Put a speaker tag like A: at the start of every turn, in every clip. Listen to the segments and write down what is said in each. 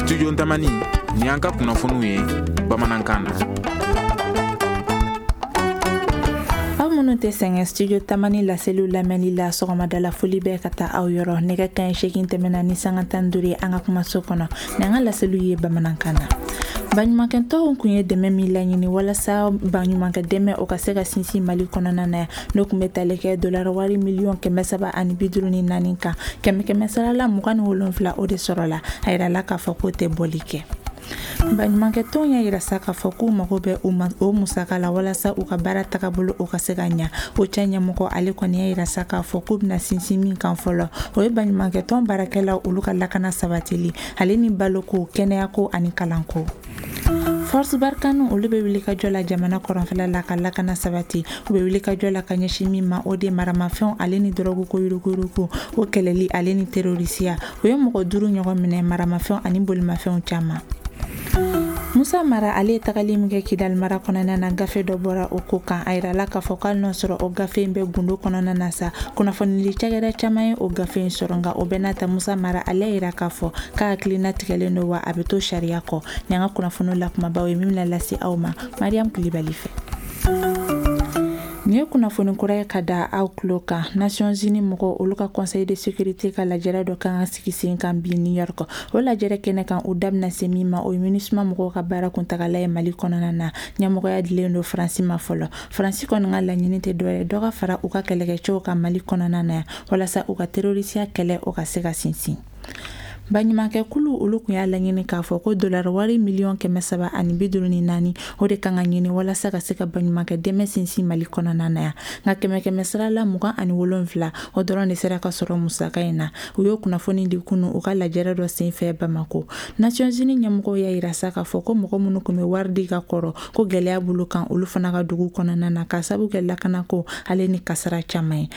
A: Studio Tamani, ni an ka kunnafoniw ye bamanankan na.
B: Aw minnu tɛ sɛgɛn Studio Tamani laseliw lamɛnli la, sɔgɔmadala foli bɛ ka taa aw yɔrɔ. Nɛgɛ kanɲɛ 8 tɛmɛna ni sanga 15 ye an ka kumaso kɔnɔ, ni an ka laseliw ye bamanankan na. Baɲumankɛtɔnw kun ye dɛmɛ min laɲini walasa baɲumankɛ dɛmɛ o ka se ka sinsin Mali kɔnɔna na yan, n'o kun bɛ tali kɛ dollar wari miliyɔn 354 kan, kɛmɛ kɛmɛ sara la 27, o de sɔrɔla. A yirala k'a fɔ k'o tɛ bɔli kɛ. Baɲumankɛtɔnw y'a yira sa k'a fɔ k'u mago bɛ o musaka la walasa u ka baara tagabolo o ka se ka ɲa. OCHA ɲɛmɔgɔ, ale kɔni y'a yira sa k'a fɔ k'u bɛna sinsin min kan fɔlɔ, o ye baɲumankɛtɔn baarakɛlaw olu ka lakana sabatili, ale ni baloko, kɛnɛyako ani kalanko. Force Barkhane, olu bɛ wuli ka jɔ la jamana kɔrɔnfɛla la ka lakana sabati. U bɛ wuli ka jɔ la ka ɲɛsin min ma, o de maramafɛnw ale ni dɔrɔgu ko yuruguyurugu, o kɛlɛli ale ni terorisiya. U ye mɔgɔ 5 ɲɔgɔn minɛ, maramafɛnw ani bolimafɛnw caman. Musa Mara, ale ye tagali min kɛ Kidali mara kɔnɔna na, gafe dɔ bɔra o ko kan. A yirala k'a fɔ k'ale n'a sɔrɔ o gafe in bɛ gundo kɔnɔna na sa, kunnafonidi cakɛda caman ye o gafe in sɔrɔ. Nka o bɛɛ n'a ta, Musa Mara, ale y'a yira k'a fɔ k'a hakilina tigɛlen don, wa a bɛ to sariya kɔ. Ni an ka kunnafoniw la kumabaw ye min bɛna lase aw ma Mariam Kulibali fɛ. Nin ye kunnafoni kura ye ka da aw tulo kan. Nations Unies mɔgɔw olu ka Conseil de sécurité ka lajɛrɛ dɔ kan ka sigi sen kan bi New York. O lajɛrɛ kɛnɛ kan, u da bɛna se min ma, o ye MINUSMA mɔgɔw ka baara kuntagala ye Mali kɔnɔna na. Ɲɛmɔgɔya dilen don Faransi ma fɔlɔ. Faransi kɔni ka laɲini tɛ dɔwɛrɛ, dɔ ka fara u ka kɛlɛkɛcɛw kan Mali kɔnɔna na yan, walasa u ka terorisiya kɛlɛ o ka se ka sinsin. Baɲumankɛkulu olu kun y'a laɲini k'a fɔ ko dollar wari miliyɔn 354, o de kan ka ɲini walasa ka se ka baɲumankɛ dɛmɛ sinsin Mali kɔnɔna na yan. Nka kɛmɛ kɛmɛ sara la 27, o dɔrɔn de sera ka sɔrɔ musaka in na. U y'o kunnafoni di kunu u ka lajɛrɛ dɔ senfɛ Bamako. Nations Unies ɲɛmɔgɔw y'a yira sa k'a fɔ ko mɔgɔ minnu kun bɛ wari di ka kɔrɔ, ko gɛlɛya b'olu kan olu fana ka dugu kɔnɔna na, k'a sabu kɛ lakanako ale ni kasara caman ye.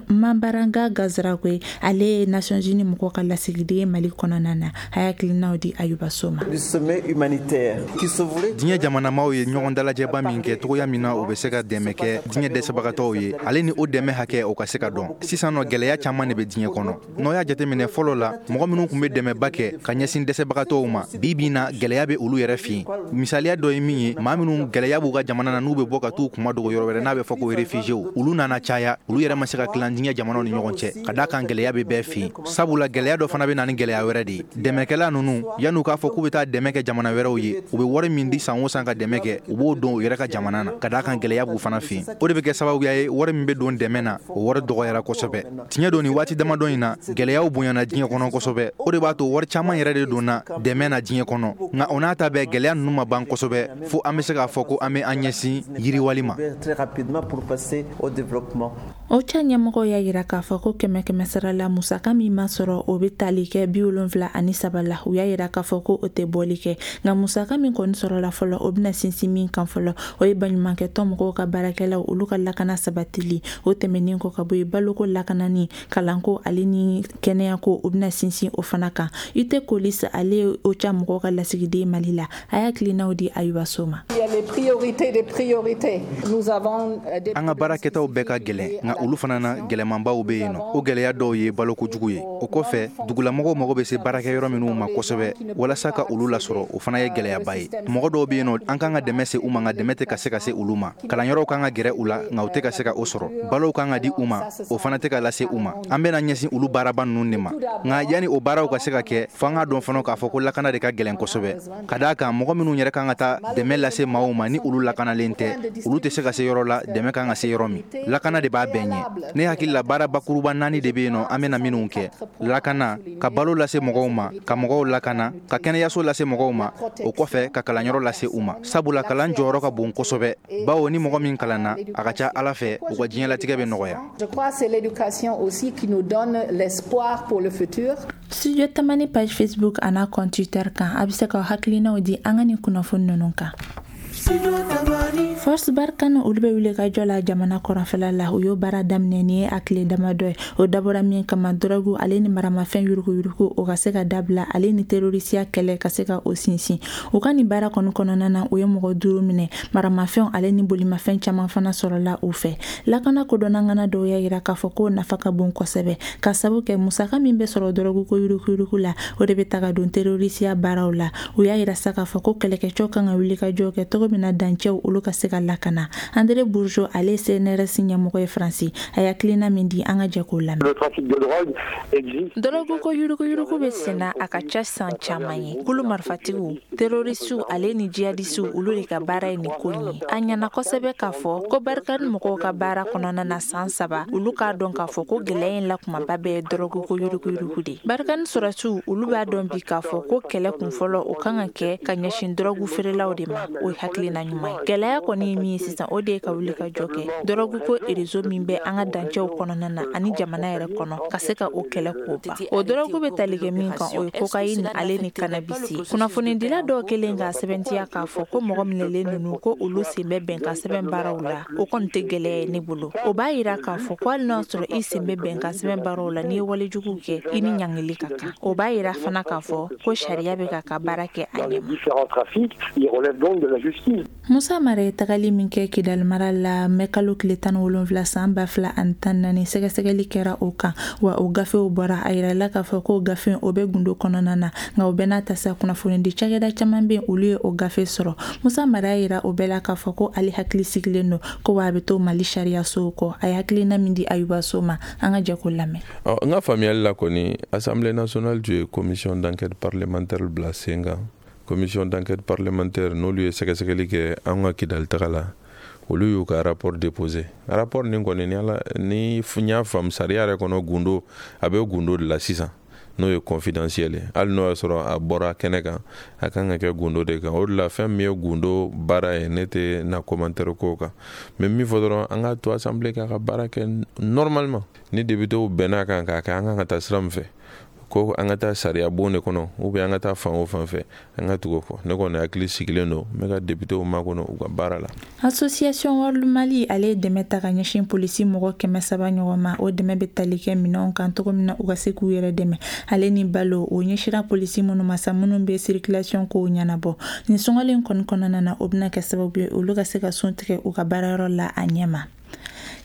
B: Mabaranga Gazarakoye, ale ye Nations Unies mɔgɔw ka lasigiden ye Mali kɔnɔna na, a y'a hakilinaw di Ayuba So ma.
C: Diɲɛ jamanamaw ye ɲɔgɔn dalajɛba min kɛ, cogoya min na u bɛ se ka dɛmɛ kɛ diɲɛ dɛsɛbagatɔw ye, ale ni o dɛmɛ hakɛ, o ka se ka dɔn. Sisan nɔ, gɛlɛya caman de bɛ diɲɛ kɔnɔ. N'o y'a jateminɛ, fɔlɔ la, mɔgɔ minnu tun bɛ dɛmɛba kɛ ka ɲɛsin dɛsɛbagatɔw ma, bi bi na, gɛlɛya bɛ olu yɛrɛ fɛ yen. Misaliya dɔ ye min ye, maa minnu gɛlɛya b'u ka jamana na, n'u bɛ bɔ ka t'u kuma dogo yɔrɔ wɛrɛ, n'a bɛ fɔ ko réfugiés, olu nana caya. Olu yɛrɛ ma se ka tilan diɲɛ jamanaw ni ɲɔgɔn cɛ, ka d'a kan gɛlɛya bɛ bɛɛ fɛ yen, sabula gɛlɛya dɔ fana bɛ na ni gɛlɛya wɛrɛ de ye. Dɛmɛkɛla ninnu, yan'u k'a fɔ k'u bɛ taa dɛmɛ kɛ jamana wɛrɛw ye, u bɛ wari min di san o san ka dɛmɛ kɛ, u b'o don u yɛrɛ ka jamana na, ka d'a kan gɛlɛya b'u fana fɛ yen. O de bɛ kɛ sababuya ye, wari min bɛ don dɛmɛ na, o wari dɔgɔyara kosɛbɛ. Tiɲɛ don, nin waati damadɔ in na, gɛlɛyaw bonyana diɲɛ kɔnɔ kosɛbɛ. O de b'a to wari caman yɛrɛ de donna dɛmɛ na diɲɛ kɔnɔ. Nka o n'a ta bɛɛ, gɛlɛya ninnu ma ban kosɛbɛ fo an bɛ se k'a fɔ ko an bɛ an ɲɛsin yiriwali ma.
B: OCHA ɲɛmɔgɔw y'a yira k'a fɔ ko kɛmɛ kɛmɛ sara la, musaka min ma sɔrɔ, o bɛ tali kɛ 73 la. U y'a yira k'a fɔ ko o tɛ bɔli kɛ. Nka musaka min kɔni sɔrɔla fɔlɔ, o bɛna sinsin min kan fɔlɔ, o ye baɲumankɛtɔn mɔgɔw ka baarakɛlaw olu ka lakana sabatili. O tɛmɛnen kɔ ka bɔ yen, baloko lakanani, kalanko ale ni kɛnɛyako, o bɛna sinsin o fana kan. Ute Kolis, ale ye OCHA mɔgɔw ka lasigiden Mali la, a y'a hakilinaw di Ayuba So ma.
C: An ka baara kɛtaw bɛɛ ka gɛlɛn, nka olu fana na, gɛlɛmanbaw bɛ yen nɔ. O gɛlɛya dɔw ye baloko jugu ye. O kɔfɛ, dugulamɔgɔw mago bɛ se baarakɛyɔrɔ minnu ma kosɛbɛ, walasa ka olu lasɔrɔ, o fana ye gɛlɛyaba ye. Mɔgɔ dɔw bɛ yen nɔ, an kan ka dɛmɛ se u ma, nka dɛmɛ tɛ ka se ka se olu ma. Kalanyɔrɔw kan ka gɛrɛ u la, nka u tɛ ka se ka o sɔrɔ. Balow kan ka di u ma, o fana tɛ ka lase u ma. An bɛna ɲɛsin olu baaraba ninnu de ma. Nka yanni o baaraw ka se ka kɛ, fo an k'a dɔn fana k'a fɔ ko lakana de ka gɛlɛn kosɛbɛ, ka d'a kan mɔgɔ minnu yɛrɛ kan ka taa dɛmɛ lase maaw ma, ni olu lakanalen tɛ, olu tɛ se ka se yɔrɔ la dɛmɛ kan ka se yɔrɔ min. Lakana de b'a bɛɛ ɲɛ. Ne hakili la, baara bakuruba naani de bɛ yen nɔ an bɛna minnu kɛ: lakana, ka balo lase mɔgɔw ma, ka mɔgɔw lakana, ka kɛnɛyaso lase mɔgɔw ma, o kɔfɛ ka kalanyɔrɔ lase u ma, sabula kalan jɔyɔrɔ ka bon kosɛbɛ, bawo ni mɔgɔ min kalanna, a ka ca Ala fɛ, u ka diɲɛlatigɛ bɛ nɔgɔya.
D: Je crois que c'est l'éducation aussi qui nous donne l'espoir pour le futur.
B: Studio Tamani page Facebook an'a compte Twitter kan, a bɛ se ka hakilinaw di an ka nin kunnafoni ninnu kan. Force Barkhane, olu bɛ wuli ka jɔ la jamana kɔrɔnfɛla la. U y'o baara daminɛ ni ye a tile damadɔ ye. O dabɔra min kama, dɔrɔgu ale ni maramafɛn yuruguyurugu, o ka se ka dabila, ale ni terorisiya kɛlɛ ka se ka o sinsin. U ka nin baara kɔni kɔnɔna na, u ye mɔgɔ duuru minɛ. Maramafɛnw ale ni bolimafɛn caman fana sɔrɔla u fɛ. Lakana kodɔnnangana dɔw y'a yira k'a fɔ k'o nafa ka bon kosɛbɛ, ka sabu kɛ musaka min bɛ sɔrɔ dɔrɔgu ko yuruguyurugu la, o de bɛ ta ka don terorisiya baaraw la. U y'a yira sa k'a fɔ ko kɛlɛkɛcɛw kan ka wuli ka jɔ kɛ cogo min na dancɛw, olu ka se ka lakana. André Bourgeot, ale ye CNRS ɲɛmɔgɔ ye Faransi, a ye hakilina min di, an ka jɛ k'o lamɛn. Dɔrɔgu ko yuruguyurugu bɛ senna a ka ca san caman ye. Kulu marifatigiw, terorisiw ale ni jihadisiw, olu de ka baara ye nin ko in ye. A ɲɛna kosɛbɛ k'a fɔ ko Barkhane mɔgɔw ka baara kɔnɔna na san 3, olu k'a dɔn k'a fɔ ko gɛlɛya in la kumaba bɛɛ ye dɔrɔgu ko yuruguyurugu de. Barkhane sɔrɔsiw, olu b'a dɔn bi k'a fɔ ko kɛlɛ kunfɔlɔ, o kan ka kɛ ka ɲɛsin dɔrɔgu feerelaw de ma. O ye hakilina ɲuman ye. Gɛlɛya kɔni ye min ye sisan, o de ye ka wuli ka jɔ kɛ dɔrɔgu ko réseau min bɛ an ka dancɛw kɔnɔna na ani jamana yɛrɛ kɔnɔ, ka se ka o kɛlɛ k'o ban. O dɔrɔgu bɛ tali kɛ min kan, o ye cocaïne ale ni cannabis ye. Kunnafonidila dɔw kelen k'a sɛbɛntiya k'a fɔ ko mɔgɔ minɛlen ninnu, ko olu sen bɛ bɛnkan sɛbɛn baaraw la, o kɔni tɛ gɛlɛya ye ne bolo. O b'a yira k'a fɔ ko hali n'a sɔrɔ i sen bɛ bɛnkan sɛbɛn baaraw la, n'i ye walejugu kɛ, i ni ɲangili ka kan. O b'a yira fana k'a fɔ ko sariya bɛ ka baara kɛ a ɲɛ. Musa Mara ye tagali min kɛ Kidali mara la mɛ kalo tile 17 san 2014, sɛgɛsɛgɛli kɛra o kan, wa o gafew bɔra. A yirala k'a fɔ ko gafe o bɛ gundo kɔnɔna na, nka o bɛɛ n'a ta sa, kunnafonidi cakɛda caman bɛ, olu ye o gafe sɔrɔ. Musa Mara y'a yira o bɛɛ la k'a fɔ ko ale hakili sigilen don, ko wa a bɛ to Mali sariya sow kɔ. A ye hakilina min di Ayuba So ma, an ka jɛ k'o lamɛn.
E: Ɔ, n ka faamuyali la kɔni, Assemblée nationale tun ye commission d'enquête parlementaire bila sen kan. Commission d'enquête parlementaire, n'olu ye sɛgɛsɛgɛli kɛ an ka Kidali taga la, olu y'u ka rapport déposé. Rapport nin kɔni, ni ala ni n y'a faamu sariya yɛrɛ kɔnɔ, gundo a bɛ gundo de la sisan, n'o ye confidentiel ye. Hali n'o y'a sɔrɔ a bɔra kɛnɛ kan, a kan ka kɛ gundo de kan. O de la, fɛn min ye gundo baara ye, ne tɛ na commentaire k'o kan. Mais min fɔ dɔrɔn, an k'a to assemblée k'a ka baara kɛ normalement. Ni députéw bɛnna kan k'a kɛ, an kan ka taa sira min fɛ, ko an ka taa sariya bon de kɔnɔ, ou bien an ka taa fan o fan fɛ, an ka tugu o kɔ. Ne kɔni hakili sigilen don, n bɛ ka députéw makɔnɔ u ka baara la.
B: Association World Mali, ale ye dɛmɛ ta ka ɲɛsin polisi mɔgɔ 300 ɲɔgɔn ma. O dɛmɛ bɛ tali kɛ minɛnw kan, cogo min na u ka se k'u yɛrɛ dɛmɛ, ale ni balo. O ɲɛsira polisi minnu ma sa, minnu bɛ circulation kow ɲɛnabɔ nin sunkalo in kɔni kɔnɔna na, o bɛna kɛ sababu ye olu ka se ka sun tigɛ u ka baarayɔrɔ la a ɲɛ ma.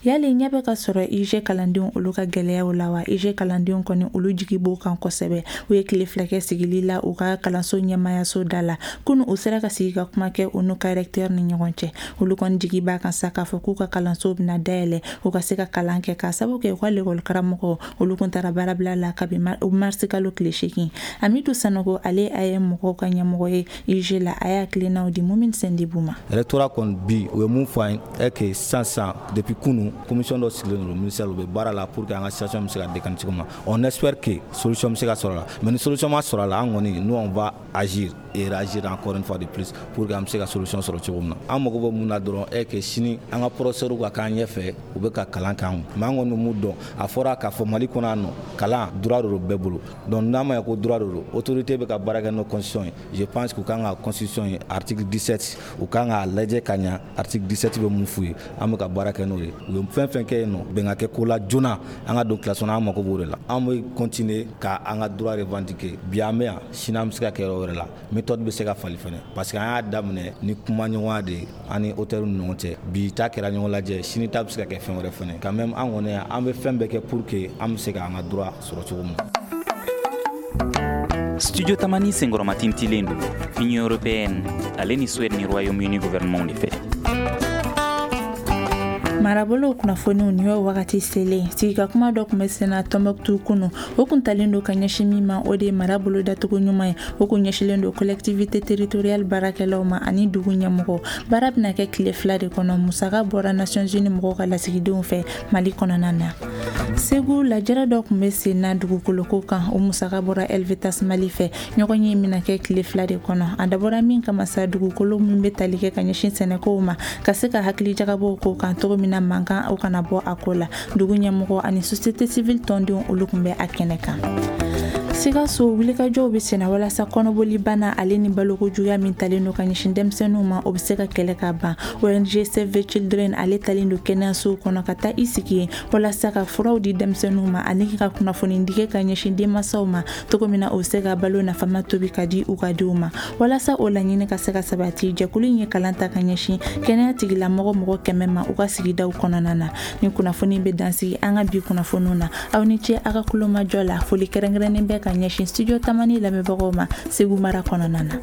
B: Yali ɲɛ bɛ ka sɔrɔ IUG kalandenw, olu ka gɛlɛyaw la wa? IUG kalandenw kɔni, olu jigi b'o kan kosɛbɛ. U ye tile 2 kɛ sigili la u ka kalanso ɲɛmayaso da la. Kunu, u sera ka sigi ka kuma kɛ u n'u ka recteur ni ɲɔgɔn cɛ. Olu kɔni jigi b'a kan sa k'a fɔ k'u ka kalanso bɛna dayɛlɛ, u ka se ka kalan kɛ, k'a sababu kɛ u ka lekɔli karamɔgɔ, olu kun taara baarabila la kabi marisi kalo tile 8. Amidu Sanogo, ale a ye mɔgɔw ka ɲɛmɔgɔ ye IUG la, a y'a hakilinaw di Mumini Sendibu ma.
F: Rectorat kɔni bi, u ye mun fɔ an ye que sisan sisan, depuis kunu, commission dɔ sigilen don ministère, u bɛ baara la pour que an ka situation bɛ se ka décanter cogo min na. On espère que solution bɛ se ka sɔrɔ a la, mais ni solution ma sɔrɔ a la, an kɔni, nous, on va agir et réagir encore une fois de plus pour que an bɛ se ka solution sɔrɔ cogo min na. An mago bɛ mun na dɔrɔn est que sini an ka professeur ka k'an ɲɛfɛ, u bɛ ka kalan kɛ an kun. Mais an kɔni bɛ mun dɔn, a fɔra k'a fɔ Mali kɔnɔ yan nɔ, kalan droit de don bɛɛ bolo. Donc n'a ma ɲɛ ko droit de don, autorité bɛ ka baara kɛ n'o constitution ye, je pense que u kan ka constitution ye, article 17, u kan k'a lajɛ ka ɲa, article 17 bɛ mun f'u ye. An bɛ ka baara kɛ n'o ye. U ye fɛn fɛn kɛ yen nɔ, bɛn ka kɛ ko la joona, an ka don classe kɔnɔ, an mako b'o de la. An bɛ continuer ka an ka droit revendiquer. Bi an bɛ yan, sini an bɛ se ka kɛ yɔrɔ wɛrɛ la. Méthode bɛ se ka falen fɛnɛ, parce que an y'a daminɛ ni kumaɲɔgɔnya de ye an ni auteur ni ɲɔgɔn cɛ. Bi ta kɛra ɲɔgɔn lajɛ, sini ta bɛ se ka kɛ fɛn wɛrɛ fɛnɛ. Quand même, an kɔni, an bɛ fɛn bɛɛ kɛ pour que an bɛ se k'an ka droit sɔrɔ cogo min na.
A: Studio Tamani senkɔrɔma tintilen don Union européenne ale ni Suède ni Royaume-Uni gouvernement de fɛ.
B: Marabolo kunnafoniw, nin y'o wagati selen. Sigikakuma dɔ tun bɛ senna Tɔnbɔkutu kunu. O kun talen don ka ɲɛsin min ma, o de ye mara bolo dacogo ɲuman ye. O kun ɲɛsilen don collectivité territoriale baarakɛlaw ma ani dugu ɲɛmɔgɔ. Baara bɛna kɛ tile 2 de kɔnɔ. Musaka bɔra Nations Unies mɔgɔw ka lasigidenw fɛ Mali kɔnɔna na. Segu, lajɛrɛ dɔ tun bɛ sen na dugukoloko kan. O musaka bɔra Helvetas Mali fɛ. Ɲɔgɔn ye bɛna kɛ tile 2 de kɔnɔ. A dabɔra min kama sa, dugukolo min bɛ tali kɛ ka ɲɛsin sɛnɛkow ma, ka se ka hakili jagabɔw ko kan cogo min na mankan o kana bɔ a ko la. Dugu ɲɛmɔgɔ ani société civile tɔndenw, olu tun bɛ a kɛnɛ kan. Sikaso, wulikajɔw bɛ senna walasa kɔnɔbolibana ale ni balokojuguya min talen don ka ɲɛsin denmisɛnninw ma, o bɛ se ka kɛlɛ ka ban. ONG Save the Children ale talen don kɛnɛyasow kɔnɔ ka taa i sigi yen walasa ka furaw di denmisɛnninw ma ani ka kunnafoni di kɛ ka ɲɛsin denmansaw ma, cogo min na o bɛ se ka balo nafama tobi ka di u ka denw ma. Walasa o laɲini ka se ka sabati, jɛkulu in ye kalan ta ka ɲɛsin kɛnɛya tigilamɔgɔ mɔgɔ 100 ma u ka sigidaw kɔnɔna na. Ni kunnafoni bɛ dansigi an ka bi kunnafoniw na. Aw ni ce aw ka kulomajɔ la. Foli kɛrɛnkɛrɛnnen bɛ ka ɲɛsin Studio Tamani lamɛnbagaw ma Segu mara kɔnɔna na.